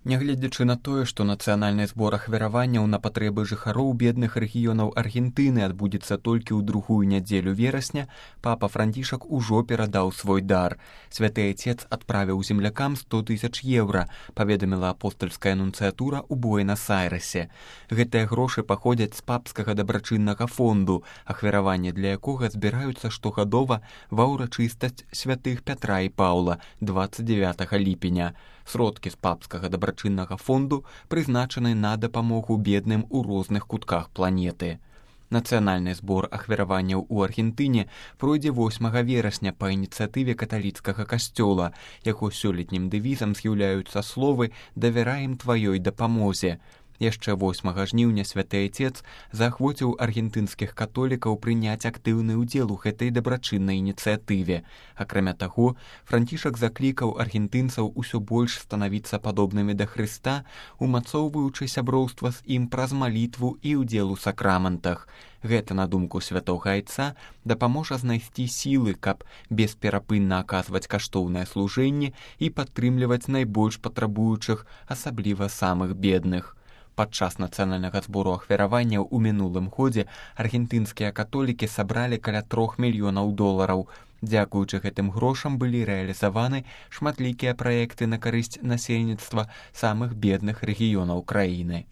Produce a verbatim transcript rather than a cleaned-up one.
Нягледзячы на тое, што нацыянальны збор ахвяраванняў на патрэбы жыхароў бедных рэгіёнаў Аргентыны адбудзецца толькі ў другую нядзелю верасня, папа Францішак ужо перадаў свой дар. Святы Айцец адправіў землякам сто тысяч еўра, паведаміла апостальская нунцыятура ў Буэнас-Айрэсе. Гэтыя грошы паходзяць з папскага дабрачыннага фонду, ахвяраванні для якога збіраюцца штогадова ва ўрачыстасць святых Пятра і Паўла дваццаць дзявятага ліпеня. Сродкі з папскага дабрачыннага фонду прызначаны на дапамогу бедным у розных кутках планеты. Нацыянальны збор ахвяраванняў у Аргентыне пройдзе восьмага верасня па ініцыятыве каталіцкага касцёла. Яго сёлетнім дэвізам з'яўляюцца словы «Давяраем тваёй дапамозе». Яшчэ восьмага жніўня святы Айцец заахвоціў аргентынскіх католікаў прыняць актыўны ўдзел у гэтай дабрачыннай ініцыятыве. Акрамя таго, Францішак заклікаў аргентынцаў усё больш станавіцца падобнымі да Хрыста, умацоўваючы сяброўства з ім праз малітву і ўдзел у сакраментах. Гэта, на думку святога Айца, дапаможа знайсці сілы, каб бесперапынна аказваць каштоўнае служэнне і падтрымліваць найбольш патрабуючых, асабліва самых бедных. Падчас нацыянальнага збору ахвяраванняў у мінулым годзе аргентынскія католікі сабралі каля трох мільёнаў долараў. Дзякуючы гэтым грошам былі рэалізаваны шматлікія праекты на карысць насельніцтва самых бедных рэгіёнаў краіны.